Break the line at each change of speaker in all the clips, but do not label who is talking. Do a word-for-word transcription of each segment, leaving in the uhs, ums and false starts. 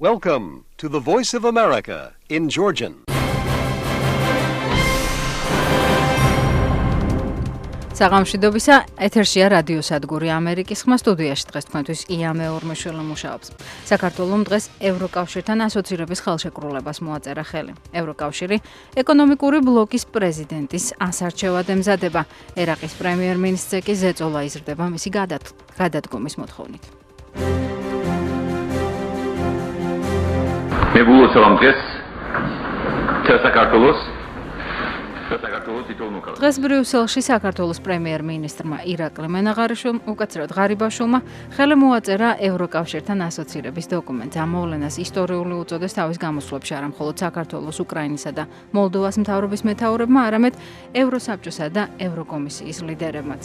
Welcome to the Voice of America in Georgian.
საღამოშიდობისა ეთერშია რადიო სადგური ამერიკის ხმა სტუდიაში დღეს თქვენთვის ია მეორმეშვილი მუშაობს. საქართველოს დღეს ევროკავშირთან ასოცირების ხელშეკრულებას მოაწერა ხელი. ევროკავშირი ეკონომიკური ბლოკის პრეზიდენტის ასარჩევად ემზადება. ერაყის პრემიერ-მინისტრზე კი ზეწოლა იზრდება მისი გადადგომის მოთხოვნით.
მე ვულოცავ დღეს საქართველოს
დღეს ბრიუსელში საქართველოს პრემიერ-მინისტრმა ირაკლი მენაღარიშვილმა უკაცრავად ღარიბაშვილმა ხელი მოაწერა ევროკავშირთან ასოცირების დოკუმენტს. ამ მოვლენას ისტორიული უწოდეს თავის გამოსვლებში არა მხოლოდ საქართველოს, უკრაინისა და მოლდოვას მთავრობის მეთაურებმა, არამედ ევროსაბჭოსა და ევროკომისიის ლიდერებმაც.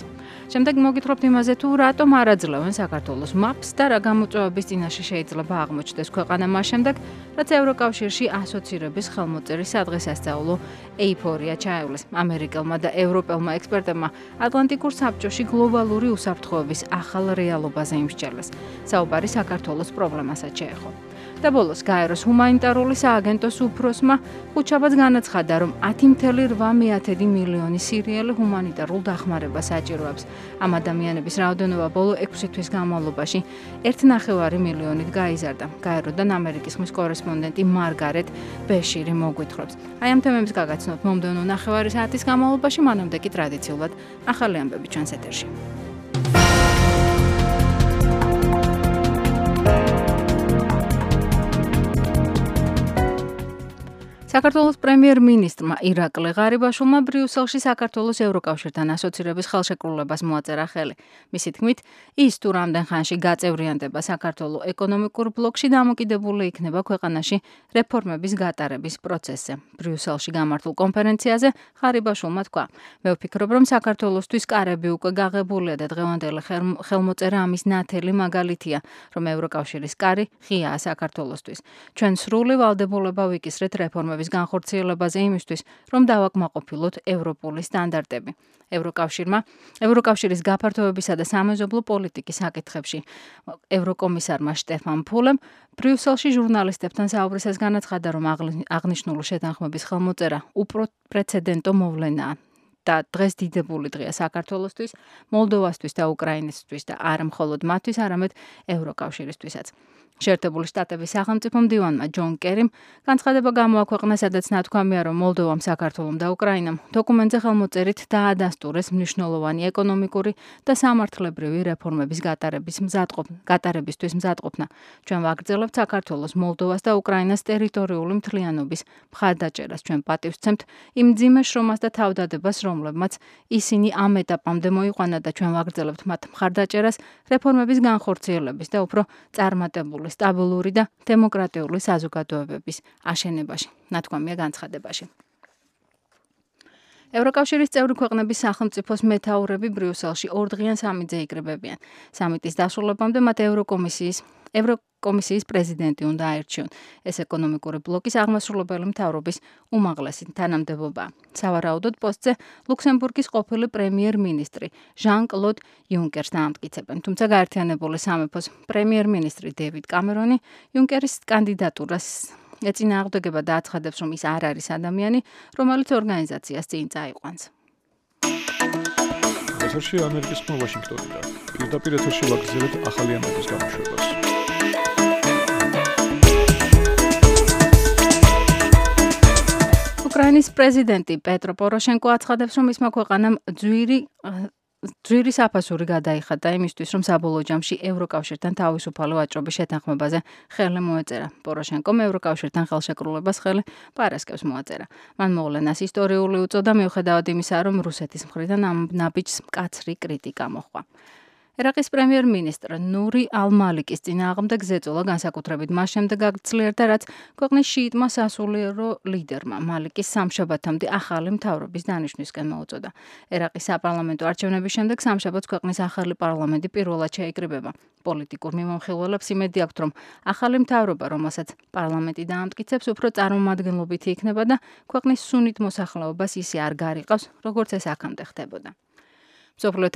შემდეგ მოგითხრობთ იმაზე, თუ რატომ არ აძლევენ საქართველოს მაპს და რა გამოწვევების წინაშე შეიძლება აღმოჩნდეს ქვეყანა მას შემდეგ, რაც ევროკავშირში ასოცირების ხელმოწერის სადღესასწაულო ეიფორია ჩაევლეს. ამერიკელმა და ევროპელმა ექსპერტებმა ატლანტიკურ საბჭოში გლობალური უსაფრთხოების ახალ რეალობაზე იმსჯელეს. საუბარი საქართველოს პრობლემასაც შეეხო. და ბოლოს გაეროს ჰუმანიტარული სააგენტოს უფროსმა ხუთშაბათს განაცხადა, რომ ათი წუთი რვამეათი მილიონი სირიელი ჰუმანიტარულ დახმარებას საჭიროებს. ამ ადამიანების რაოდენობა ბოლო ექვსი თვის განმავლობაში ერთი ნახევარი მილიონით გაიზარდა. გაეროდან ამერიკის ხმის კორესპონდენტი მარგარეტ ბეშირი მოგვითხრობს. აი ამ თემებს გაგაცნობთ მომდევნო ნახევარი საათის განმავლობაში, მანამდე კი ტრადიციულად ახალი ამბები ჩვენს ეთერში. საქართველოს პრემიერ-მინისტრმა ირაკლი ღარიბაშვილმა ბრიუსელში საქართველოს ევროკავშირთან ასოცირების ხელშეკრულებას მოაწერა ხელი. მისი თქმით, ის თუ რამდენ ხანში გაწევრიანდება საქართველოს ეკონომიკურ ბლოკში დამოკიდებული იქნება ქვეყანაში რეფორმების გატარების პროცესზე. ბრიუსელში გამართულ კონფერენციაზე ღარიბაშვილმა თქვა: მე ვფიქრობ, რომ საქართველოსთვის კარები უკვე გაღებულია და დღევანდელი ხელმოწერა ამის ნათელი მაგალითია, რომ ევროკავშირის კარი ღიაა საქართველოსთვის. ჩვენ სრული ვალდებულება ვიკისრეთ რეფორმების განხორციელებაზე იმისთვის, რომ დავაკმაყოფილოთ ევროპული სტანდარტები. ევროკავშირმა, ევროკავშირის გაფართოებისა და სამეზობლო პოლიტიკის საკითხებში ევროკომისარმა შტეფან ფულემ ბრიუსელში ჟურნალისტებთან საუბრისას განაცხადა, რომ აღნიშნული შეთანხმების ხელმოწერა უპრეცედენტო მოვლენაა. და დღეს დიდებული დღეა საქართველოსთვის, მოლდოვასთვის და უკრაინისთვის და არა მხოლოდ მათთვის, არამედ ევროკავშირისთვისაც. შეერთებული შტატების სახელმწიფო მდივანმა ჯონ კერიმ განცხადება გამოაქვეყნა, სადაც ნათქვამია, რომ მოლდოვამ, საქართველომ და უკრაინამ დოკუმენტზე ხელმოწერით დაადასტურეს მნიშვნელოვანი ეკონომიკური და სამართლებრივი რეფორმების გატარების გატარებისთვის მზადყოფნა. ჩვენ ვაგრძელებთ საქართველოს, მოლდოვას და უკრაინას ტერიტორიული მთლიანობის მხარდაჭერას. ჩვენ პატივს ვცემთ იმ მძიმე შრომას და თავდადებას, რომლებმაც ისინი ამ ეტაპამდე მოიყვანა და ჩვენ ვაგრძელებთ მათ მხარდაჭერას რეფორმების განხორციელების და უფრო წარმატებული სტაბილური და დემოკრატიული საზოგადოებების აშენებაში, ნათქვამია განცხადებაში. ევროკავშირის წევრი ქვეყნების სახელმწიფოს მეთაურები ბრიუსელში ორდღიან სამიტზე იკრიბებიან. სამიტის დასრულებამდე მათ ევროკომისიის ევროკომისიის პრეზიდენტი უნდა აერჩიონ. ეს ეკონომიკური ბლოკის აღმასრულებელი მთავრობის უმაღლესი თანამდებობა. სავარაუდოდ პოსტზე ლუქსემბურგის ყოფილი პრემიერ-მინისტრი ჟან-კლოდ იუნკერს დაამტკიცებენ. თუმცა გაერთიანებული სამეფოს პრემიერ-მინისტრი დევიდ კამერონი იუნკერის კანდიდატურას ეწინააღმდეგება და აცხადებს, რომ ის არ არის ადამიანი, რომელიც ორგანიზაციას წინ წაიყვანს.
ეთერში ამერიკის ხმა ვაშინგტონიდან. პირდაპირ ეთერში ვაგრძელებთ ახალი ამბების გამოშვებას.
უკრაინის პრეზიდენტი პეტრო პოროშენკო აცხადებს, რომ მისმა ქვეყანამ ძვირი ძვირი საფასური გადაიხადა იმისთვის, რომ საბოლოო ჯამში ევროკავშირთან თავისუფალი ვაჭრობის შეთანხმებაზე ხელი მოეწერა. პოროშენკომ ევროკავშირთან ხელშეკრულებას ხელი პარასკევს მოაწერა. მან მოვლენას ისტორიული უწოდა, მიუხედავად იმისა, რომ რუსეთის მხრიდან ამ ნაბიჯს მკაცრი კრიტიკა მოჰყვა. ერაყის პრემიერ-მინისტრ ნური ალ-მალიკის წინააღმდეგ ზეწოლა განსაკუთრებით მას შემდეგ აგრძელდა, რაც ქვეყნის შიიტმა სასულიერო ლიდერმა მალიკის სამშაბათამდე ახალი მთავრობის დანიშვნისკენ მოუწოდა. ერაყის საპარლამენტო არჩევნების შემდეგ სამშაბათს ქვეყნის ახალი პარლამენტი პირველად შეიკრიბება. პოლიტიკურ მიმოხილველებს იმედი აქვთ, რომ ახალი მთავრობა, რომელსაც პარლამენტი დაამტკიცებს, უფრო წარმომადგენლობითი იქნება და ქვეყნის სუნით მოსახლეობას ისე არ გარიყავს, როგორც ეს აქამდე ხდებოდა. მსოფლიო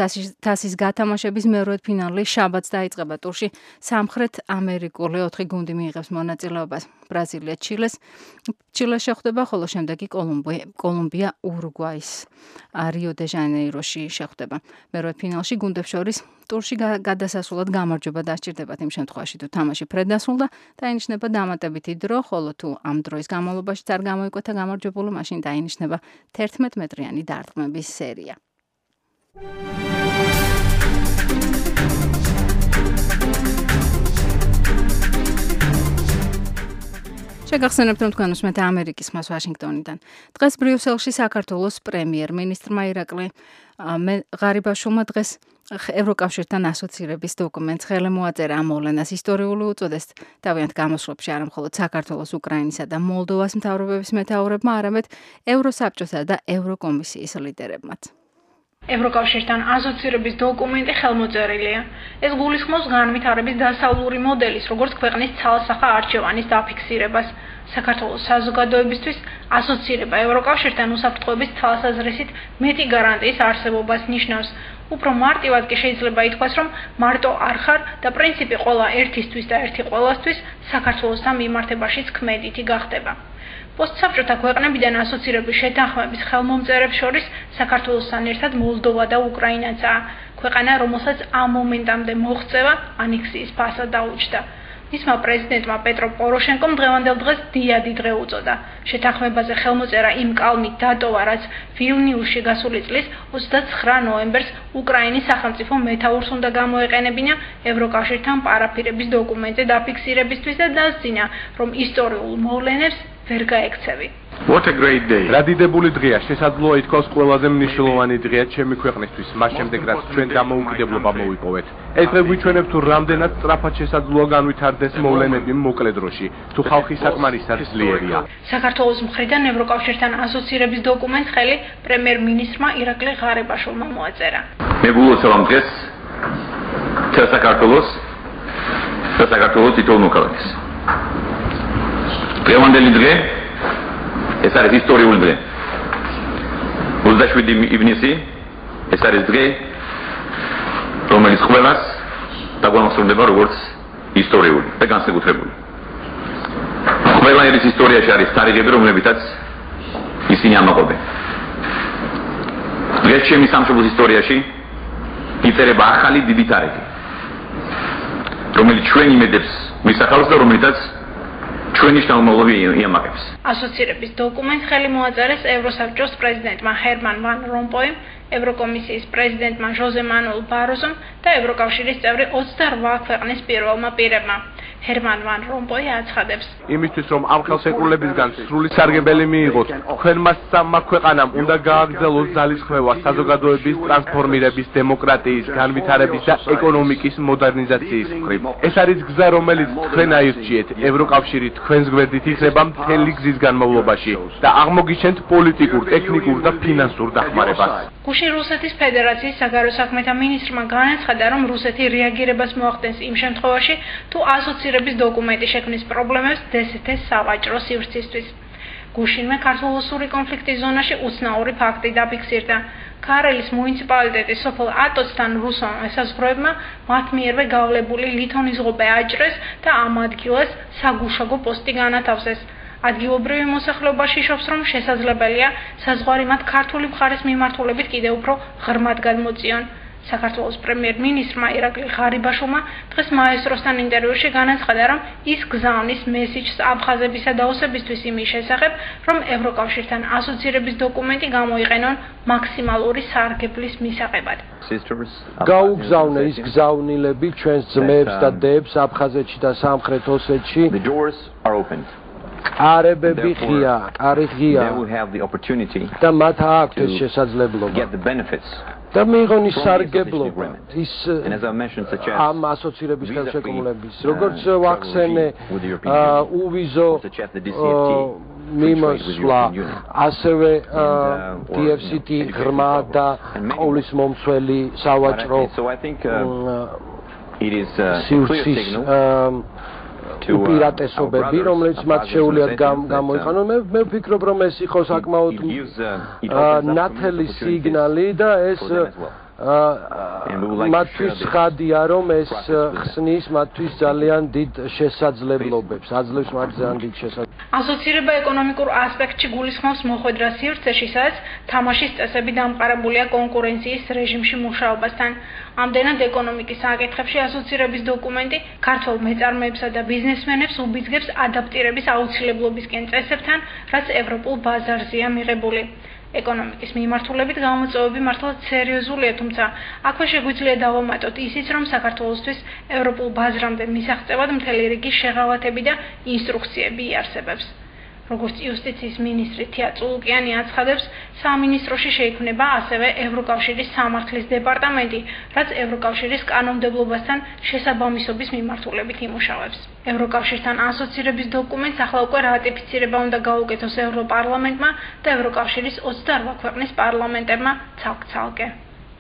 თასის გათამაშების მეორე ფინალი შაბათს დაიწყება. ტურში სამხრეთ ამერიკული ოთხი გუნდი მიიღებს მონაწილეობას. ბრაზილია ჩილეს ჩილეს შეხვდება, ხოლო შემდეგი კოლუმბია ურუგვაის რიო დე ჟანეიროში შეხვდება. მეორე ფინალში გუნდებს შორის ტურში გადასასვლელად გამარჯვება დასჭირდებათ იმ შემთხვევაში, თუ თამაში ფრედ დასრულდა, დაინიშნება დამატებითი დრო, ხოლო თუ ამ დროის განმავლობაში არ გამოიკვეთა გამარჯვებული, მაშინ დაინიშნება თერთმეტ მეტრიანი დარტყმების სერია. შეგახსენებთ, რომ თქვენ უსმენთ ამერიკის ხმას ვაშინგტონიდან. დღეს ბრიუსელში საქართველოს პრემიერ-მინისტრმა ირაკლი ღარიბაშვილმა დღეს ევროკავშირთან ასოცირების დოკუმენტს ხელი მოაწერა. ამ მოვლენას ისტორიული უწოდეს თავიანთ გამოსვლებში არა მხოლოდ საქართველოს, უკრაინისა და მოლდოვას მთავრობების მეთაურებმა, არამედ ევროსაბჭოსა და ევროკომისიის ლიდერებმაც.
ევროკავშირთან ასოცირების დოკუმენტი ხელმოწერილია. ეს გულისხმობს განვითარების დასავლური მოდელის, როგორც ქვეყნის ცალსახა არჩევანის დაფიქსირებას. საქართველოს საზოგადოებისთვის ასოცირება ევროკავშირთან უსაფრთხოების თვალსაზრისით მეტი გარანტიის არსებობას ნიშნავს. უფრო მარტივად კი შეიძლება ითქვას, რომ მარტო არ ხარ და პრინციპი ყველა ერთისთვის და ერთი ყველასთვის საქართველოსთან მიმართებაშიც ქმედითი გახდება. პოსტსაბჭოთა ქვეყნებიდან ასოცირების შეთანხმების ხელმომწერებს შორის საქართველოსთან ერთად მოლდოვა და უკრაინაცაა. ქვეყანა, რომელსაც ამ მომენტამდე მოღწევა ანექსიის ფასად დაუჯდა. მისმა პრეზიდენტმა პეტრო პოროშენკომ დღევანდელ დღეს დიადი დღე უწოდა. შეთანხმებაზე ხელმოწერა იმ კალმით დატოვა, რაც ვილნიუსში გასული წლის ოცდაცხრა ნოემბერს უკრაინის სახელმწიფო მეთაურს უნდა გამოეყენებინა ევროკავშირთან პარაფირების დოკუმენტზე დაფიქსირებისთვის და დასძინა, რომ ისტორიულ მოვლენებს ვერ გაექცევი.
What a great day.
რადიდებული დღეა, შესაძლოა ითქვას ყველაზე მნიშვნელოვანი დღეა ჩემი ქვეყნისთვის, მას შემდეგ რაც ჩვენ დამოუკიდებლობა მოვიპოვეთ. ეს დღე გვიჩვენებს თუ რამდენად სწრაფად შესაძლოა განვითარდეს მოვლენები მოკლე დროში, თუ ხალხი საკმარისად ძლიერია.
საქართველოს მხრიდან ევროკავშირთან ასოცირების დოკუმენტს ხელი პრემიერ-მინისტრმა ირაკლი ღარიბაშვილმა მოაწერა.
მე გულოცავ დღეს თელ საქართველოს და საქართველოს თითოეულ მოქალაქეს. დღევანდელი დღე ეს არის ისტორიული დღე. ოცდაშვიდი ივნისი ეს არის დღე, რომელიც ყველას დაგუანახსოვდება როგორც ისტორიული და განსაკუთრებული. ყველა ერის ისტორიაში არის თარიღები, რომლებითაც ისინი ამაყობენ. დღეს ჩემი სამშობლოს ისტორიაში იწერება ახალი დიდი თარიღი, რომელიც ჩვენ იმედებს მისახავს და რომელიცაც ჩვენი შთამომავლობა იამაკებს.
ასოცირების დოკუმენტს ხელი მოაწერეს ევროსაბჭოს პრეზიდენტმა ჰერმან ვან რომპოიმ, ევროკომისიის პრეზიდენტმა ჟოზე მანუელ ბაროზომ და ევროკავშირის წევრი ოცდარვა ქვეყნის პირველმა პირებმა. ჰერმან ვან რომპოი აცხადებს.
იმისთვის რომ ამ ხელშეკრულებისგან სრული სარგებელი მიიღოს, თქვენმა სამმა ქვეყანამ უნდა გააგრძელოს ძალისხმევა საზოგადოების ტრანსფორმირების, დემოკრატიის, განვითარების და ეკონომიკის მოდერნიზაციის მხრივ. ეს არის გზა, რომელიც თქვენ აირჩიეთ. ევროკავშირი თქვენს გვერდით იქნება მთელი გზის განმავლობაში და აღმოგიჩენთ პოლიტიკურ, ტექნიკურ და ფინანსურ დახმარებას.
გუშინ რუსეთის ფედერაციის საგარეო საქმეთა მინისტრმა განაცხადა, რომ რუსეთი რეაგირებას მოახდენს იმ შემთხვევაში, თუ ასოცირების დოკუმენტი შექმნის პრობლემებს დსთ-ს სავაჭრო სივრცისთვის. გუშინვე ქართულ-რუსული კონფლიქტის ზონაში უცნაური ფაქტი დაფიქსირდა. ქარელის მუნიციპალიტეტის სოფელ ატოცთან რუსულ ესაზღვროებმა მათ მიერვე გავლებული ლითონის ღობე აჭრეს და ამ ადგილას საგუშაგო პოსტი განათავსეს. ადგილობრივი მოსახლეობა იშობს, რომ შესაძლებელია საზღვარი მათ ქართული მხარის მიმართულებით კიდევ უფრო ღრმად გადმოწიონ. საქართველოს პრემიერ-მინისტრმა ირაკლი ღარიბაშვილმა დღეს მაესტროსთან ინტერვიუში განაცხადა, რომ ის გზავნის მესიჯს აფხაზებისა და ოსებისთვის იმის შესახებ, რომ ევროკავშირთან ასოცირების დოკუმენტი გამოიყენონ მაქსიმალური სარგებლის მისაღებად.
გაუგზავნე ის გზავნილები ჩვენს ძმებს და დებს აფხაზეთში და სამხრეთ ოსეთში. კარებები ღია, კარი ღია და მათ აქვთ ეს შესაძლებლობა და მიიღონ ის სარგებლობა ის ამ ასოცირების ხელშეკრულების, როგორც ვახსენე უვიზო მიმოსვლა, ასევე დი ეფ სი ტი ღრმა და ყოვლის მომცველი სავაჭრო სივრცის უპირატესობები, რომელიც მათ შეუძლიათ გამოიყენონ. მე მე ვფიქრობ, რომ ეს იყო საკმაოდ ნათელი სიგნალი და ეს მათთვის ხადია რომ ეს ხსნის მათთვის ძალიან დიდ შესაძლებლობებს, აძლევს მათ ძალიან დიდ შესაძლებლობებს.
ასოცირება ეკონომიკურ ასპექტში გულისხმობს მოხვედრა სივრცეში, სადაც თამაშის წესები დამყარებულია კონკურენციის რეჟიმში მუშაობასთან. ამდენად ეკონომიკის საკითხებში ასოცირების დოკუმენტი ქართველ მეწარმეებსა და ბიზნესმენებს უბიძგებს ადაპტირების აუცილებლობისკენ წესებთან, რაც ევროპულ ბაზარზეა მიღებული. ეკონომიკის მიმართულებით გამოწვევები მართლაც სერიოზულია, თუმცა აქვე შეგვიძლია დავამატოთ ისიც, რომ საქართველოსთვის ევროპულ ბაზრამდე მისაღწევად მთელი რიგი შეღავათები და ინსტრუქციები იარსებებს. როგორც იუსტიციის მინისტრი თია წულუკიანი აცხადებს, სამინისტროში შეიქმნება ასევე ევროკავშირის სამართლის დეპარტამენტი, რაც ევროკავშირის კანონმდებლობასთან შესაბამისობის მიმართულებით იმუშავებს. ევროკავშირთან ასოცირების დოკუმენტს ახლა უკვე რატიფიცირება უნდა გაუკეთოს ევროპარლამენტმა და ევროკავშირის ოცდაორ ქვეყნის პარლამენტებმა ცალკ-ცალკე.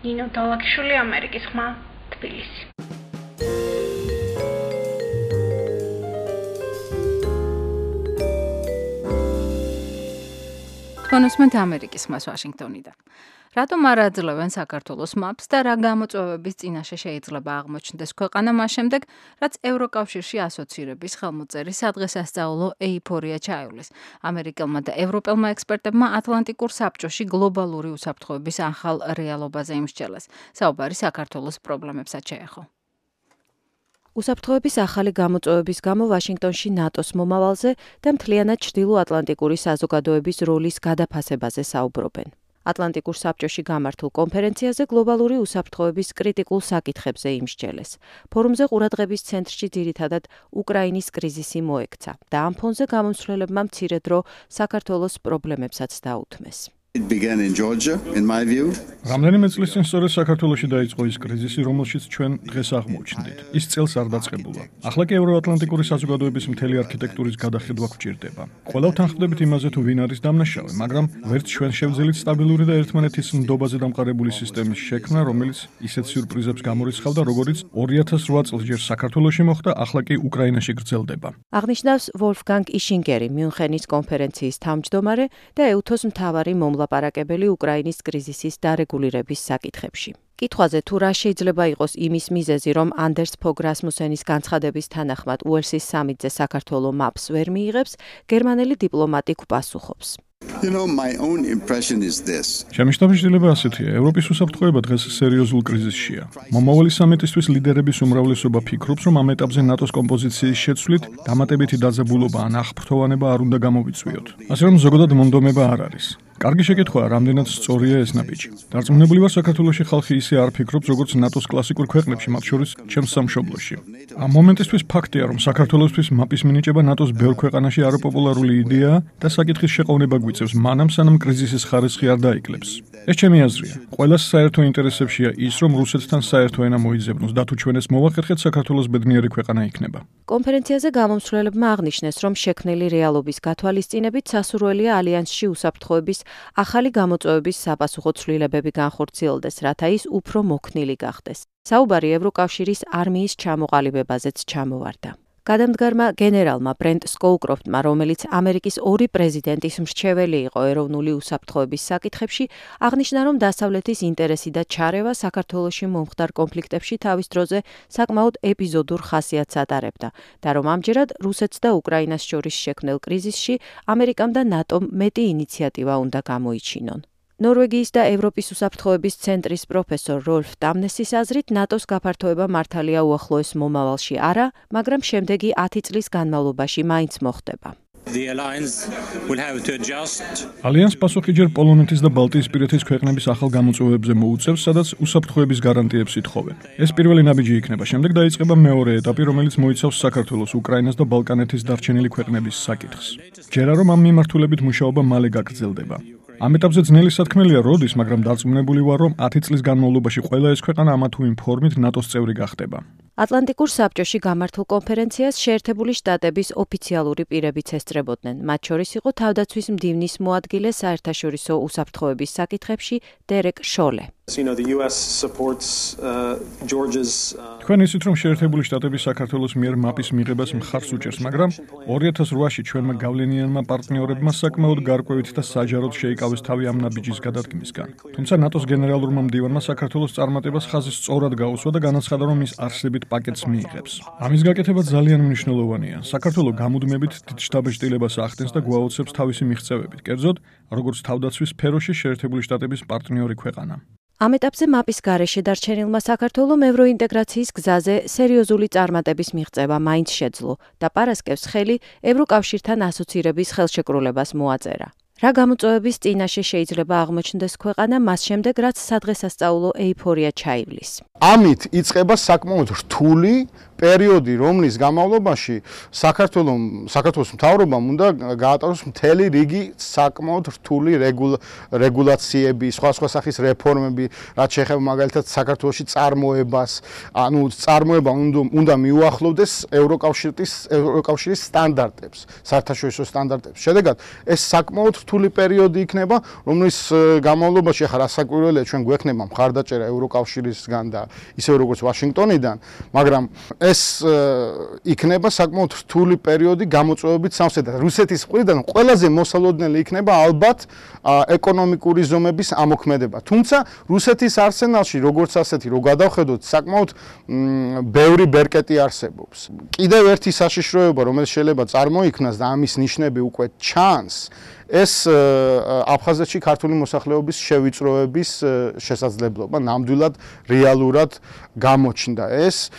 ნინო დალაკიშვილი, ამერიკის ხმა, თბილისი.
კონსმენტ ამერიკის ხმას ვაშინგტონიდან. რატომ არ აძლევენ საქართველოს მაპს და რა გამოწვევების წინაშე შეიძლება აღმოჩნდეს ქვეყანა მას შემდეგ, რაც ევროკავშირში ასოცირების ხელმოწერის სადღესასწაულო ეიფორია ჩაივლის. ამერიკელმა და ევროპელმა ექსპერტებმა ატლანტიკურ საბჭოში გლობალური უსაფრთხოების ახალ რეალობაზე იმსჯელეს. საუბარი საქართველოს პრობლემებსაც შეეხო. უსაფრთხოების ახალი გამოწვევების გამო ვაშინგტონში ნატოს მომავალზე და მთლიანად ჩრდილო-ატლანტიკური საზოგადოების როლის გადაფასებაზე საუბრობენ. ატლანტიკურ საბჭოში გამართულ კონფერენციაზე გლობალური უსაფრთხოების კრიტიკულ საკითხებზე იმსჯელეს. ფორუმზე ყურადღების ცენტრში ძირითადად უკრაინის კრიზისი მოექცა და ამ ფონზე გამომცვლელებმა მცირე დრო საქართველოს პრობლემებსაც დაუთმეს.
It began in Georgia, in my view.
რამდენიმე წლის წინ სწორედ საქართველოში დაიწყო ის კრიზისი, რომელშიც ჩვენ დღეს აღმოჩნდით. ის წელს არ დაწყებულა. ახლა კი ევროატლანტიკური საზოგადოების მთელი არქიტექტურის გადახედვა გვჭირდება. ყველა ვთანხმდებით იმაზე, თუ ვინ არის დამნაშავე, მაგრამ ვერც ჩვენ შევძელით სტაბილური და ერთმანეთის ნდობაზე დამყარებული სისტემის შექმნა, რომელიც ისეთ სიურპრიზებს გამორიცხავდა, როგორიც ორი ათას რვა წელს ჯერ საქართველოში მოხდა, ახლა კი უკრაინაში გრძელდება.
აღნიშნავს ვოლფგანგ იშინგერი, მიუნხენის კონფერენციის თავმჯდომარე და ეუთოს მთავარი მომლა ლაპარაკებელი უკრაინის კრიზისის დარეგულირების საკითხებში. კითხვაზე თუ რა შეიძლება იყოს იმის მიზეზი, რომ ანდერს ფოგ რასმუსენის განცხადების თანახმად უელსის სამიტზე საქართველო მაპს ვერ მიიღებს, გერმანელი დიპლომატი გვპასუხობს.
You know, my own impression is this.
ჩემი შთაბეჭდილება ასეთია, ევროპის უსაფრთხოება დღეს სერიოზულ კრიზისშია. მომავალი სამიტისთვის ლიდერების უმრავლესობა ფიქრობს, რომ ამ ეტაპზე ნატოს კომპოზიციის შეცვლით დამატებითი დაძაბულობა ან აღფრთოვანება არ უნდა გამოვიწვიოთ. ასე რომ ზოგადად მონდომება არ არის. კარგი შეკითხვაა, რამდენად სწორია ეს ნაბიჯი. დარწმუნებული ვარ, საქართველოში ხალხი ისე არ ფიქრობს, როგორც ნატოს კლასიკურ ქვეყნებში, მათ შორის ჩემს სამშობლოში. ამ მომენტისთვის ფაქტია, რომ საქართველოსთვის მაპის მინიჭება ნატოს ბევრ ქვეყანაში არაპოპულარული იდეაა და საკითხის შეყოვნება გვიწევს მანამ, სანამ კრიზისის ხარისხი არ დაიკლებს. ეს ჩემი აზრია. ყველას საერთო ინტერესებშია ის, რომ რუსეთთან საერთო ენა მოიძებნოს და თუ ჩვენ ეს მოვახერხეთ, საქართველოს ბედნიერი ქვეყანა იქნება.
კონფერენციაზე გამომცვლელებმა აღნიშნეს, რომ შექმნილი რეალობის გათვალისწინებით სასურველია ალიანსში უსაფრთხოების ახალი გამოწვევების საპასუხო ცვლილებები განხორციელდეს, რათა ის უფრო მოქნილი გახდეს. საუბარი ევროკავშირის არმიის ჩამოყალიბებაზეც ჩამოვარდა. გადამდგარმა გენერალმა ბრენტ სკოუკროფტმა, რომელიც ამერიკის ორი პრეზიდენტის მრჩეველი იყო ეროვნული უსაფრთხოების საკითხებში, აღნიშნა, რომ დასავლეთის ინტერესი და ჩარევა საქართველოში მომხდარ კონფლიქტებში თავის დროზე საკმაოდ ეპიზოდურ ხასიათს ატარებდა და რომ ამჯერად რუსეთს და უკრაინას შორის შექმნილ კრიზისში ამერიკამ და ნატომ მეტი ინიციატივა უნდა გამოიჩინონ. ნორვეგიის და ევროპის უსაფრთხოების ცენტრის პროფესორ როლფ დამნესის აზრით, ნატოს გაფართოება მართალია უახლოეს მომავალში არა, მაგრამ შემდეგი ათი წლის განმავლობაში მაინც მოხდება.
ალიანს პასუხი ჯერ პოლონეთის და ბალტიისპირეთის ქვეყნების ახალ გამოწვევებზე მოუწევს, სადაც უსაფრთხოების გარანტიებს ითხოვენ. ეს პირველი ნაბიჯი იქნება, შემდეგ დაიწყება მეორე ეტაპი, რომელიც მოიცავს საქართველოს, უკრაინას და ბალკანეთის დარჩენილი ქვეყნების საკითხს. ჯერა რომ ამ მიმართულებით მუშაობა მალე გაგრძელდება. ამ ეტაპზე ძნელი სათქმელია როდის, მაგრამ დარწმუნებული ვარ, რომ ათი წლის განმავლობაში ყველა ეს ქვეყანა ამა თუ იმ ფორმით ნატოს წევრი გახდება.
ატლანტიკურ საბჭოში გამართულ კონფერენციას შეერთებული შტატების ოფიციალური პირებიც ესწრებოდნენ. მათ შორის იყო თავდაცვის მდივნის მოადგილე საერთაშორისო უსაფრთხოების საკითხებში დერეკ შოლე.
You know, the U S supports uh, Georgia's uh...
თქვენ ისიც რომ შეერთებული შტატები საქართველოს მიერ მაპის მიღებას მხარს უჭერს, მაგრამ ორი ათას ოთხში ჩვენმა გავლენიანმა პარტნიორებმა საკმაოდ გარკვევით და საჯაროდ შეიკავეს თავი ამ ნაბიჯის გადადგმისგან. თუმცა ნატოს გენერალურმა მდივანმა საქართველოს წარმატებას ხაზი სწორად გაუსვა და განაცხადა, რომ ის არსებით პაკეტს მიიღებს. ამის გაკეთება ძალიან მნიშვნელოვანია. საქართველოს გამუდმებით დიდ შთაბეჭდილებას ახდენს და გვაოცებს თავისი მიღწევებით, კერძოდ, როგორც თავდაცვის სფეროში შეერთებული შტატების პარტნიორი ქვეყანა.
ამ ეტაპზე მაპის გარეშე დარჩენილმა საქართველომ ევროინტეგრაციის გზაზე სერიოზული წარმატების მიღწევა მაინც შეძლო და პარასკევს ხელი ევროკავშირთან ასოცირების ხელშეკრულებას მოაწერა. რა გამოწვევების წინაშე შეიძლება აღმოჩნდეს ქვეყანა მას შემდეგ, რაც სადღესასწაულო ეიფორია ჩაივლის.
ამით იწყება საკმაოდ რთული პერიოდი, რომლის განმავლობაში საქართველოს საქართველოს მთავრობამ უნდა გაატაროს მთელი რიგი საკმაოდ რთული რეგულაციები, სხვა სხვა სახის რეფორმები, რაც შეეხება მაგალითად საქართველოში წარმოებას, ანუ წარმოება უნდა მიუახლოვდეს ევროკავშირის ევროკავშირის სტანდარტებს, საერთაშორისო სტანდარტებს. შედეგად, ეს საკმაოდ რთული პერიოდი იქნება, რომლის განმავლობაში ახლა რასაკვირველია ჩვენ გვექნება მხარდაჭერა ევროკავშირისგან და ისე როგორც ვაშინგტონიდან, მაგრამ ეს იქნება საკმაოდ რთული პერიოდი გამოწვევებით სამსედად. რუსეთის მხრიდან ყველაზე მოსალოდნელი იქნება ალბათ ეკონომიკური ზომების ამოქმედება. თუმცა რუსეთის არსენალში როგორც ასეთი რო გადავხედოთ, საკმაოდ ბევრი ბერკეტი არსებობს. კიდევ ერთი საშიშროება, რომელიც შეიძლება წარმოიქმნას და ამის ნიშნები უკვე ჩანს, ეს აფხაზეთში ქართული მოსახლეობის შევიწროების შესაძლებლობა ნამდვილად რეალურად გამოჩნდა. ეს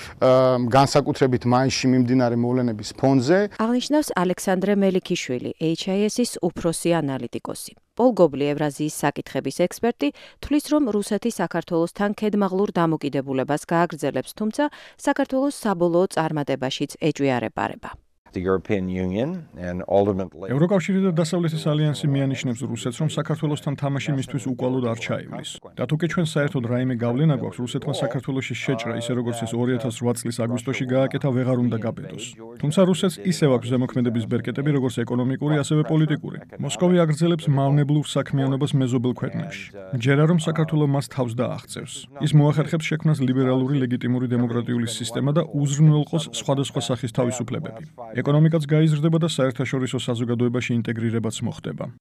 განსაკუთრებით მაისში მიმდინარე მოვლენების ფონზე
აღნიშნავს ალექსანდრე მელიქიშვილი, ეიჩ აი ეს-ის უფროსი ანალიტიკოსი. პოლ გობლი, ევრაზიის საკითხების ექსპერტი, თვლის, რომ რუსეთი საქართველოსთან ქედმაღლურ დამოკიდებულებას გააგრძელებს, თუმცა საქართველოს საბოლოო წარმატებაშიც ეჭვიარეპარება.
ევროკავშირი და დასავლეთის ალიანსი მიანიშნებს რუსეთს, რომ საქართველოსთან თამაში მისთვის უკვალოდ არ ჩაივლის. და თუკი ჩვენ საერთოდ რაიმე გავლენა გვაქვს რუსეთმა საქართველოში შეჭრა, ისე როგორც ეს ორი ათას ოთხ წლის აგვისტოში გააკეთა, ვეღარ უნდა გაბედოს. თუმცა რუსეთს ისევ აქვს ზემოქმედების ბერკეტები, როგორც ეკონომიკური, ასევე პოლიტიკური. მოსკოვი აგრძელებს მავნებლურ საქმიანობას მეზობელ ქვეყნებში. ჯერა რომ საქართველო მას თავს დააღწევს. ის მოახერხებს შექმნას ლიბერალური ლეგიტიმური დემოკრატიული სისტემა და უზრუნველყოს სხვადასხვა სახის თავისუფლებები. ეკონომიკაც გაიზრდება და საერთაშორისო საზოგადოებაში ინტეგრირებაც მოხდება.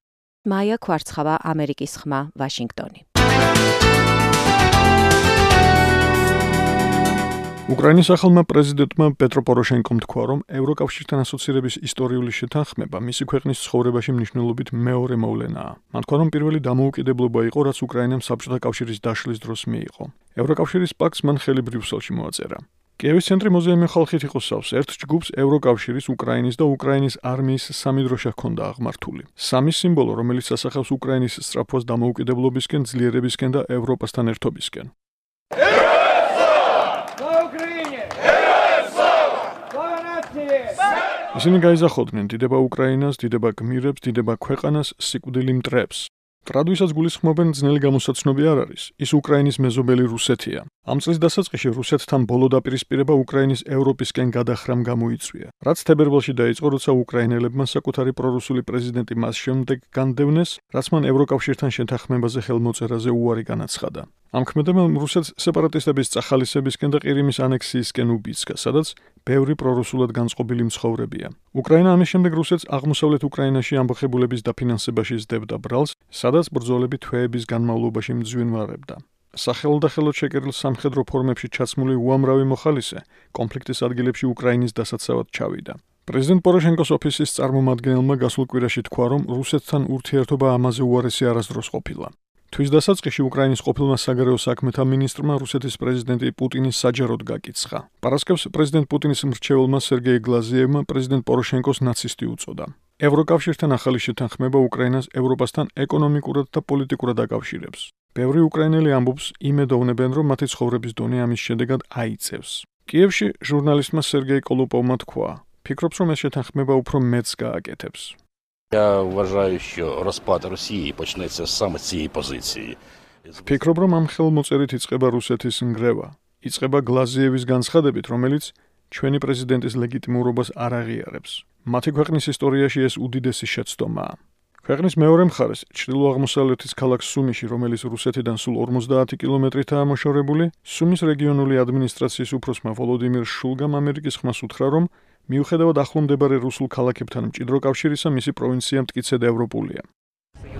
მაია კვარცხავა, ამერიკის ხმა, ვაშინგტონი.
უკრაინის ახალმა პრეზიდენტმა პეტრო პოროშენკომ თქვა, რომ ევროკავშირთან ასოცირების ისტორიული შეთანხმება მისი ქვეყნის ცხოვრებაში მნიშვნელობით მეორე მოვლენაა. მან თქვა, რომ პირველი დამოუკიდებლობა იყო, რაც უკრაინამ საბჭოთა კავშირის დაშლის დროს მიიღო. ევროკავშირის პაქტს მან ხელი ბრიუსელში მოაწერა. კიევის ცენტრი მუზეუმი ხალხით იყო სავს. ერთ ჯგუფს ევროკავშირის, უკრაინის და უკრაინის არმიის სამი დროშა ჰქონდა აღმართული. სამი სიმბოლო, რომელიც ასახავს უკრაინის სწრაფვას დამოუკიდებლობისკენ, ძლიერებისკენ და ევროპასთან ერთობისკენ. ისინი გაიზახოდნენ დიდება უკრაინას, დიდება გმირებს, დიდება ქვეყანას, სიკვდილი მტრებს. ტრადვისაც გულისხმობენ ძნელი გამოსაცნობი არ არის. ის უკრაინის მეზობელი რუსეთია. ამ წლის დასაწყისში რუსეთთან ბოლო დაპირისპირება უკრაინის ევროპისკენ გადახრამ გამოიწვია. რაც თებერვალში დაიწყო, როცა უკრაინელებმა საკუთარი პრორუსული პრეზიდენტი მას შემდეგ განდევნეს, რაც მან ევროკავშირთან შეთანხმებაზე ხელმოწერაზე უარი განაცხადა. ამ ქმედებამ რუსეთს სეპარატისტების წახალისებისკენ და ყირიმის ანექსიისკენ უბიძგა, სადაც ბევრი პრორუსულად განწყობილი მცხოვრებია. უკრაინა ამის შემდეგ რუსეთს აღმოსავლეთ უკრაინაში ამბოხებულების დაფინანსებაში სდებდა ბრალს, სადაც ბრძოლები თვეების განმავლობაში მძვინვარებდა. სახელოდახელოდ შეკერილ სამხედრო ფორმებში ჩაცმული უამრავი მოხალისე კონფლიქტის ადგილებში უკრაინის დასაცავად ჩავიდა. პრეზიდენტ პოროშენკოს ოფისის წარმომადგენელმა გასულ კვირაში თქვა, რომ რუსეთთან ურთიერთობა ამაზე უარესი არასდროს ყოფილა. თვის დასაწყისში უკრაინის ყოფილმა საგარეო საქმეთა მინისტრმა რუსეთის პრეზიდენტი პუტინის საჯაროდ გაკიცხა. პარასკევს პრეზიდენტ პუტინის მრჩეველმა სერგეი გლაზიევმა პრეზიდენტ პოროშენკოს ნაცისტი უწოდა. ევროკავშირთან ახალი შეთანხმება უკრაინას ევროპასთან ეკონომიკურად და პოლიტიკურად აკავშირებს. ბევრი უკრაინელი ამბობს, იმედოვნებენ, რომ მათი ცხოვრების დონე ამის შედეგად აიწევს. კიევში ჟურნალისტმა სერგეი კოლოპოვმა თქვა, ფიქრობს, რომ ეს შეთანხმება უფრო მეტს გააკეთებს.
Я вважаю, що розпад Росії почнеться саме з цієї позиції.
Ფიქრობ, რომ ამ ხელმოწერით იწყება რუსეთის ნგრევა. იწყება გლაზიევის განცხადებით, რომელიც ჩვენი პრეზიდენტის ლეგიტიმურობას არ აღიარებს. მათი ქვეყნის ისტორიაში ეს უდიდესი შეცდომაა. ქვეყნის მეორე მხარეს, ჩრდილო-აღმოსავლეთის ქალაქ სუმიში, რომელიც რუსეთიდან სულ ორმოცდაათი კილომეტრითაა მოშორებული, სუმის რეგიონული ადმინისტრაციის უფროსმა ვოლოდიმირ შულგამ ამერიკის ხმას უთხრა, რომ მიუხედავად ახლო მდებარე რუსულ ქალაქებთან მჭიდრო კავშირისა, მისი პროვინცია მტკიცედ ევროპულია.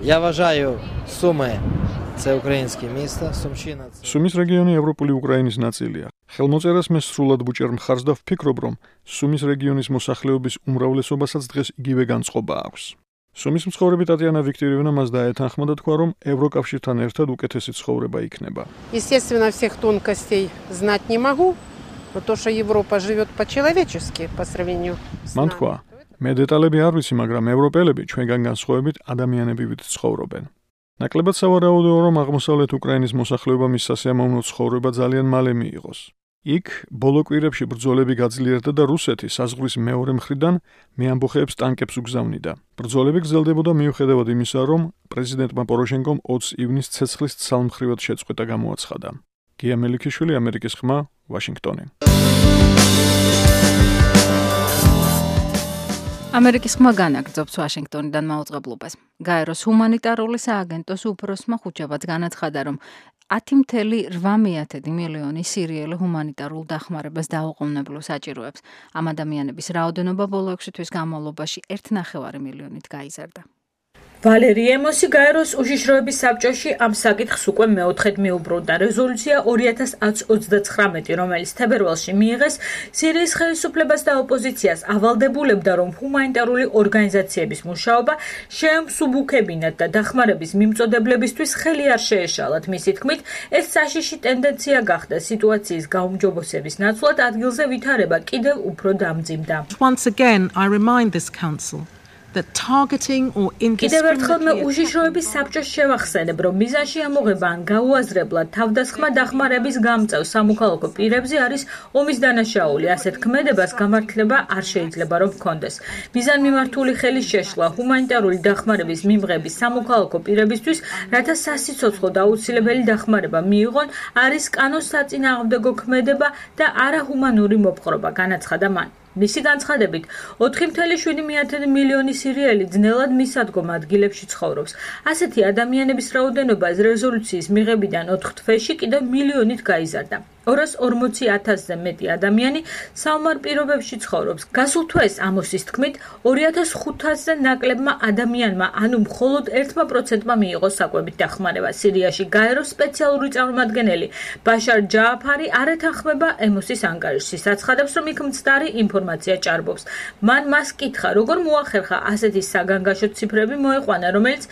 Я вважаю, Суми це українське місто, Сумщина.
სუმის რეგიონი ევროპული უკრაინის ნაწილია. ხელმოწერას მე სრულად ბუჭერ მხარს და ვფიქრობ, რომ სუმის რეგიონის მოსახლეობის უმრავლესობასაც დღეს იგივე განწყობა აქვს. სუმის მცხოვრები ტატიანა ვიქტორიევნა მას დაეთანხმა და თქვა, რომ ევროკავშირთან ერთად უკეთესი ცხოვრება იქნება.
Естественно, всех тонкостей знать не могу, но то, что Европа живет по-человечески по сравнению с
მან თქვა, მე დეტალები არ ვიცი, მაგრამ ევროპელები ჩვენგან განსხვავებით ადამიანებივით ცხოვრობენ. ნაკლებად სავარაუდოა, რომ აღმოსავლეთ უკრაინის მოსახლეობა მის სასიამოვნო ცხოვრება ძალიან მალე მიიღოს. იქ ბოლო კვირებში ბრძოლები გაძლიერდა და რუსეთი საზღვრის მეორე მხრიდან მეამბოხეებს ტანკებს უგზავნიდა. ბრძოლები გრძელდებოდა მიუხედავად იმისა, რომ პრეზიდენტმა პოროშენკომ ოცი ივნისს ცეცხლის ცალმხრივად შეწყვეტა გამოაცხადა. გია მელიქიშვილი, ამერიკის ხმა, ვაშინგტონი.
ამერიკის ხმა განაგრძობს ვაშინგტონიდან მაუწყებლობას. გაეროს ჰუმანიტარული სააგენტოს უფროსმა ხუჩაბაც განაცხადა, რომ ათი მცდე რვა მილიონი სირიელი ჰუმანიტარულ დახმარებას დაუყოვნებლო საჭიროებს. ამ ადამიანების რაოდენობა ბოლო ექვსი თვის განმავლობაში ერთი ნახევარი მილიონით გაიზარდა.
ვალერი ემოსი გაეროს უშიშროების საბჭოში ამ საკითხს უკვე მეოთხედ მიუბრუნდა. რეზოლუცია ორი ათას ოცდაცხრამეტი, რომელიც თებერვალში მიიღეს, სირიის ხელისუფლებას და ოპოზიციას ავალდებულებდა, რომ ჰუმანიტარული ორგანიზაციების მუშაობა შეემსუბუქებინათ და დახმარების მიმწოდებლებისთვის ხელი არ შეეშალათ. მისი თქმით, ეს საშიში ტენდენცია გახდა სიტუაციის გაუმჯობესების ნაცვლად ადგილზე ვითარება კიდევ უფრო დამძიმდა.
Once again, I remind this council that targeting or
კიდევ ერთხელ მე უშიშროების საბჭოს შევახსენებ, რომ მიზანში ამოღება ან გაუაზრებლად თავდასხმა დახმარების გამწევ სამოქალაქო პირებზე არის ომის დანაშაული. ასეთ ქმედებას გამართლება არ შეიძლება რომ ჰქონდეს. მიზანმიმართული ხელის შეშლა ჰუმანიტარული დახმარების მიმღების სამოქალაქო პირებისთვის, რათა სასიცოცხლო და აუცილებელი დახმარება მიიღონ, არის კანოს საწინააღმდეგო ქმედება და არაჰუმანური მოპყრობა, განაცხადა მან. მისი განცხადებით, ოთხი მცდე შვიდი მილიონი სირიელი ძნელად მისადგომ ადგილებში ცხოვრობს. ასეთი ადამიანების რაოდენობა რეზოლუციის მიღებიდან ოთხ თვეში კიდევ მილიონით გაიზარდა. ორას ორმოცი ათასზე მეტი ადამიანი საომარ პირობებში ცხოვრობს. გასულ თვეს ამოსის თქმით, ორი ათას ხუთასზე ნაკლებმა ადამიანმა, ანუ მხოლოდ ერთმა პროცენტმა მიიღო საკვებით დახმარება. სირიაში გაეროს სპეციალური წარმომადგენელი ბაშარ ჯააფარი არ ეთანხმება ემოსის ანგარიშს. ის აცხადებს, რომ იქ მცდარი ინფორმაცია ჭარბობს. მან მას კითხა, როგორ მოახერხა ასეთი საგანგაშო ციფრები მოეყვანა, რომელიც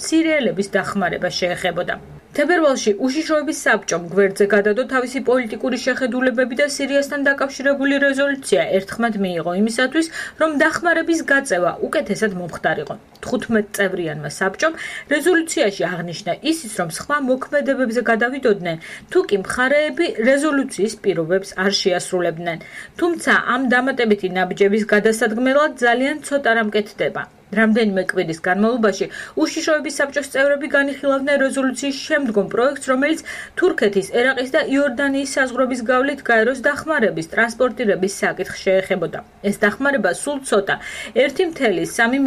სირიელების დახმარება შეეხებოდა. თებერვალში უშიშროების საბჭომ გვერდზე გადადო თავისი პოლიტიკური შეხედულებები და სირიასთან დაკავშირებული რეზოლუცია ერთხმად მიიღო იმისათვის, რომ დახმარების გაწევა უკეთესად მომხდარიყო. თხუთმეტ წევრიანმა საბჭომ რეზოლუციაში აღნიშნა ისიც, რომ სხვა მოქმედებებზე გადავიდოდნენ, თუ კი მხარეები რეზოლუციის პირობებს არ შეასრულებდნენ. თუმცა ამ დამატებითი ნაბიჯების გადასადგმელად ძალიან ცოტა რამ კეთდება. რამდენიმე კვირის განმავლობაში უშიშროების საბჭოს წევრები განიხილავდნენ რეზოლუციის შემდგომ პროექტს, რომელიც თურქეთის, ერაყის და იორდანიის საზღვრების გავლით გაეროს დახმარების ტრანსპორტირების საკითხს შეეხებოდა. ეს დახმარება სულ ცოტა, ერთი მცდე სამი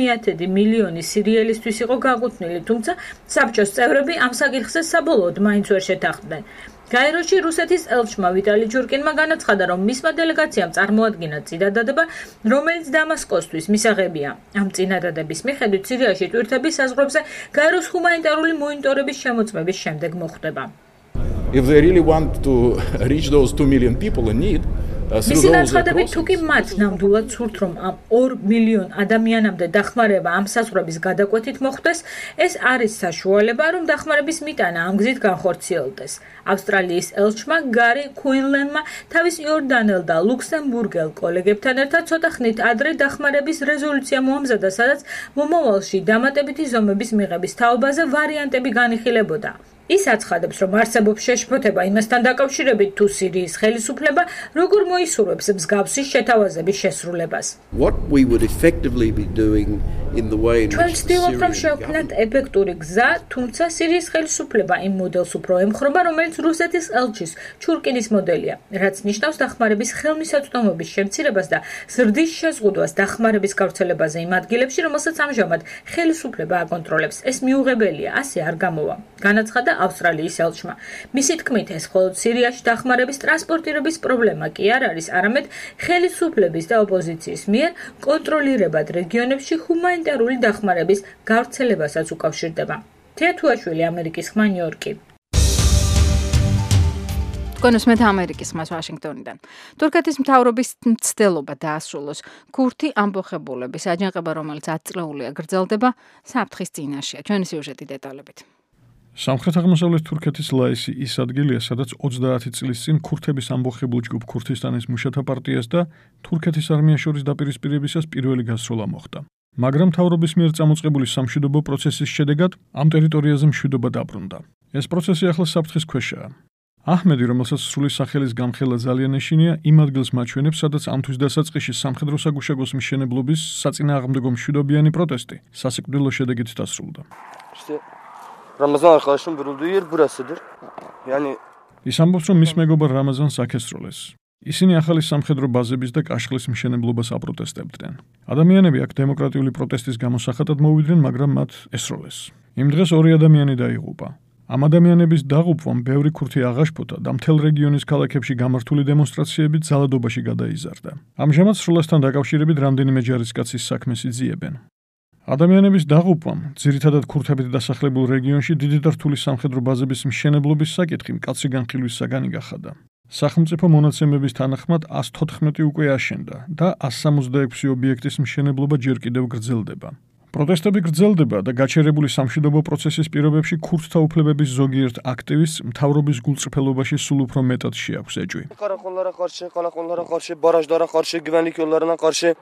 მილიონი სირიელისთვის იყო გაკუთვნილი, თუმცა საბჭოს წევრები ამ საკითხზე საბოლოოდ მაინც ვერ შეთანხმდნენ. გაეროში რუსეთის ელჩმა ვიტალი ჯურკინმა განაცხადა, რომ მისმა დელეგაციამ წარმოადგინა წინადადება, რომელიც დამასკოსთვის მისაღებია. ამ წინადადების მიხედვით სირიაში ტვირთები საზღვრებზე გაეროს ჰუმანიტარული მონიტორების შემოწმების შემდეგ მოხდება.
If they really want to reach those two million people in need,
მისი განცხადებით, თუ კი მათ ნამდვილად სურთ, რომ ამ ორ მილიონ ადამიანამდე დახმარება ამ საზღვრების გადაკვეთით მოხდეს, ეს არის საშუალება, რომ დახმარების მიტანა ამ გზით განხორციელდეს. ავსტრალიის ელჩმა გარი კუინლენმა თავის იორდანელ და ლუქსემბურგელ კოლეგებთან ერთად ცოტა ხნით ადრე დახმარების რეზოლუცია მოამზადა, სადაც მომავალში დამატებითი ზომების მიღების თაობაზე ვარიანტები განიხილებოდა. ის აცხადებს, რომ არსებობს შეშფოთება იმასთან დაკავშირებით, თუ სირიის ხელისუფლება როგორ მოისურვებს მსგავსი შეთავაზების შესრულებას.
What we would effectively be doing ჩვენ ვცდილობთ, რომ შევქმნათ ეფექტური გზა, თუმცა სირიის ხელისუფლება იმ მოდელს უფრო ემხრობა, რომელიც რუსეთის ელჩის ჩურკინის მოდელია, რაც ნიშნავს დახმარების ხელმისაწვდომობის შემცირებას და ზრდის შეზღუდვას დახმარების გავრცელებაზე იმ ადგილებში, რომელსაც ამჟამად ხელისუფლება აკონტროლებს. ეს მიუღებელია, ასე არ გამოვა. განაცხადა ავსტრალიის ელჩმა. მისი თქმით, ეს მხოლოდ სირიაში დახმარების ტრანსპორტირების პრობლემა კი არ არის, არამედ ხელისუფლების და ოპოზიციის მიერ კონტროლირებად რეგიონებში ჰუმანიტარული დახმარების გავრცელებასაც უკავშირდება. თეა თუაშვილი, ამერიკის ხმა, ნიუ-იორკი.
კონსმეთ ამერიკის ხმას ვაშინგტონიდან. თურქეთის მთავრობის მცდელობა დაასრულოს ქურთი ამბოხებულების აჯანყება, რომელიც ათი წლეულია გრძელდება, საფრთხის წინაშეა. ჩვენი სიუჟეტი დეტალებით.
სამხრეთ-აღმოსავლეთ თურქეთის ლაისი ის ადგილია, სადაც ოცდაათი წლის წინ ქურთების ამბოხებულ ჯგუფ ქურთისტანის მუშათა პარტიას და თურქეთის არმიას შორის დაპირისპირებისას პირველი გასროლა მოხდა. მაგრამ მთავრობის მიერ წამოწყებული სამშვიდობო პროცესის შედეგად ამ ტერიტორიაზე მშვიდობა დაბრუნდა. ეს პროცესი ახლა საფრთხის ქვეშაა. აჰმედი, რომელსაც სრული სახელის გამხელა ძალიან ეშინია, იმ ადგილს მაჩვენებს, სადაც ამ თვის დასაწყისში სამხედრო საგუშაგოს მშენებლობის საწინააღმდეგო მშვიდობიანი პროტესტი სასიკვდილო შედეგით დასრულდა.
Ramazan arkadaşım vurulduğu yer burasıdır. Yani
ის ამბობს, რომ მის მეგობარ რამაზანს აქესროლეს. ისინი ახალი სამხედრო ბაზების და კაშხლის მშენებლობას აპროტესტებდნენ. ადამიანები აქ დემოკრატიული პროტესტის გამოსახატად მოვიდნენ, მაგრამ მათ ესროლეს. იმ დღეს ორი ადამიანი დაიღუპა. ამ ადამიანების დაღუპვამ ბევრი ქურთი აღაშფოთა და მთელ რეგიონის ქალაქებში გამართული დემონსტრაციები ძალადობაში გადაიზარდა. ამჟამად სროლასთან დაკავშირებით რამდენიმე ჯარისკაცის საქმეს იძიებენ. ადამიანების დაღუპვამ, ძირითადად ქურთებით დასახლებულ რეგიონში დიდი და რთული სამხედრო ბაზების მშენებლობის საკითხი მკაცრი განხილვის საგანი გახადა. სახელმწიფო მონაცემების თანახმად ათს თოთხმეტი უკვე აშენდა და ათს სამოცდაექვსი ობიექტის მშენებლობა ჯერ კიდევ გრძელდება. პროტესტები გრძელდება და გაჩერებული სამშვიდობო პროცესის პირობებში ქურთთა უფლებების ზოგიერთ აქტივისტს მთავრობის გულწრფელობაში სულ უფრო მეტად შეაქვს ეჭვი.
Karakollara karşı, karakollara karşı, barajlara karşı, güvenlik yollarına karşı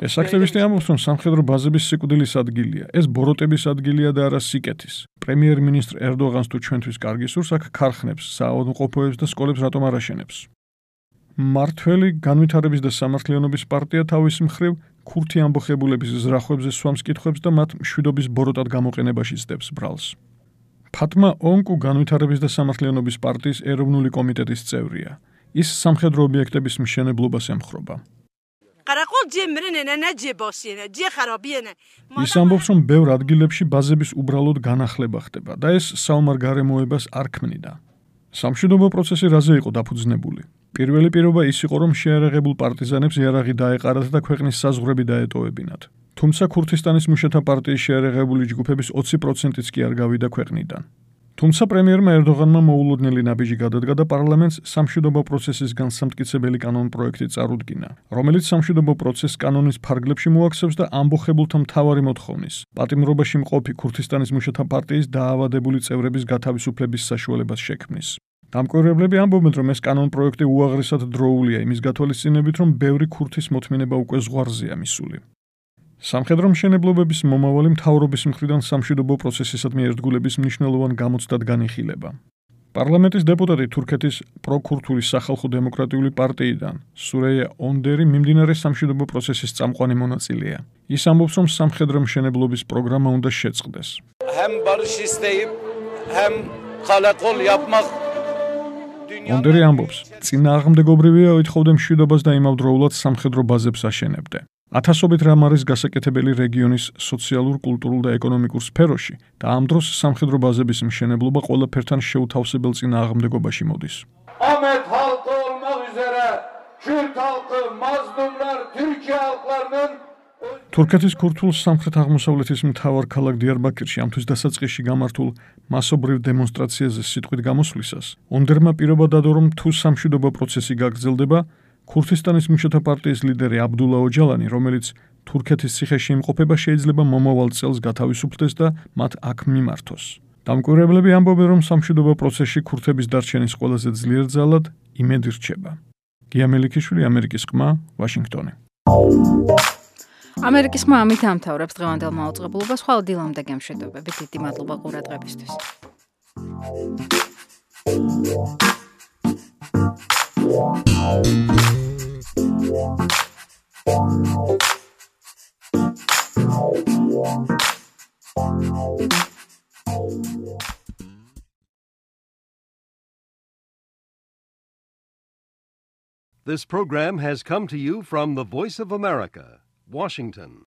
ეს აქტივისტი ამბობს, რომ სამხედრო ბაზების სიკვდილის ადგილია. ეს ბოროტების ადგილია და არა სიკეთის. პრემიერ-მინისტრ ერდოღანს თუ ჩვენთვის კარგი სურს, აქ ქარხნებს, საავადმყოფოებს და სკოლებს რატომ არ აშენებს? მართველი განვითარების და სამართლიანობის პარტია თავის მხრივ ქურთი ამბოხებულების ზრახვებზე სვამს კითხვებს და მათ მშვიდობის ბოროტად გამოყენებაში ცდებს ბრალს. ფათმა ონკუ განვითარების და სამართლიანობის პარტიის ეროვნული კომიტეტის წევრია. ის სამხედრო ობიექტების მშენებლობას ემხრობა. ის ამბობს, რომ ბევრ ადგილებში ბაზების უბრალოდ განახლება ხდება და ეს საომარ გარემოებას არ ქმნიდა. სამშვიდობო პროცესი რაზე იყო დაფუძნებული? პირველი პირობა ის იყო, რომ შეიარაღებულ პარტიზანებს იარაღი დაეყარათ და ქვეყნის საზღვრები დაეტოვებინათ. თუმცა ქურთისტანის მუშათა პარტიის შეიარაღებული ჯგუფების ოცი პროცენტიც კი არ გავიდა ქვეყნიდან. თუმცა პრემიერმა ერდოღანმა მოულოდნელი ნაბიჯი გადადგა და პარლამენტს სამშვიდობო პროცესის განსამტკიცებელი კანონპროექტი წარუდგინა, რომელიც სამშვიდობო პროცესს კანონის ფარგლებში მოაქცევს და ამბოხებულთა მთავარი მოთხოვნის, პატიმრობაში მყოფი ქურთისტანის მუშათა პარტიის დაავადებული წევრების გათავისუფლების საშუალებას შექმნის. დამკვირვებლები ამბობენ, რომ ეს კანონპროექტი უაღრესად დროულია იმის გათვალისწინებით, რომ ბევრი ქურთის მოთმინება უკვე ზღვარზეა მისული. სამხედრო მშენებლობების მომავალი მთავრობის მხრიდან სამშვიდობო პროცესისადმი ერთგულების მნიშვნელოვან გამოცდად განიხილება. პარლამენტის დეპუტატი თურქეთის პროქურთული სახალხო დემოკრატიული პარტიიდან სურეია ონდერი მიმდინარე სამშვიდობო პროცესის წამყვანი მონაწილეა. ის ამბობს, რომ სამხედრო მშენებლობის პროგრამა უნდა შეწყდეს.
Hem barış isteyip hem kalakol yapmak
ონდერი ამბობს, წინააღმდეგობრივია ეთხოვდა მშვიდობას და იმავდროულად სამხედრო ბაზებს აშენებდა. ათასობით რამ არის გასაკეთებელი რეგიონის სოციალურ, კულტურულ და ეკონომიკურ სფეროში და ამ დროს სამხედრო ბაზების მშენებლობა ყველაფერთან შეუთავსებელ წინააღმდეგობაში მოდის.
Ahmet halkı olmak üzere Kürt halkı, mazlumlar, Türkiye halklarının
თურქეთის ქურთულ სამხრეთ-აღმოსავლეთის მთავარ ქალაქ დიარბაქირში ამ თვის დასაწყისში გამართულ მასობრივ დემონსტრაციაზე სიტყვით გამოსვლისას ონდერმა პირობა დადო, რომ თუ სამშვიდობო პროცესი გაგრძელდება, ქურთისტანის მუშათა პარტიის ლიდერი აბდულა ოჯალანი, რომელიც თურქეთის ციხეში იმყოფება, შეიძლება მომავალ წელს გათავისუფლდეს და მათ აქ მიმართოს. დამკვირვებლები ამბობენ, რომ სამშვიდობო პროცესში ქურთების დარჩენის ყველაზე ძლიერ ძალად იმედი რჩება. გია მელიქიშვილი, ამერიკის ხმა, ვაშინგტონი.
ამერიკის ხმა ამით ამთავრებს დღევანდელ მაუწყებლობას. ხვალ დილამდე გემშვიდობები. დიდი მადლობა ყურადღებისთვის. Wow.
This program has come to you from the Voice of America, Washington.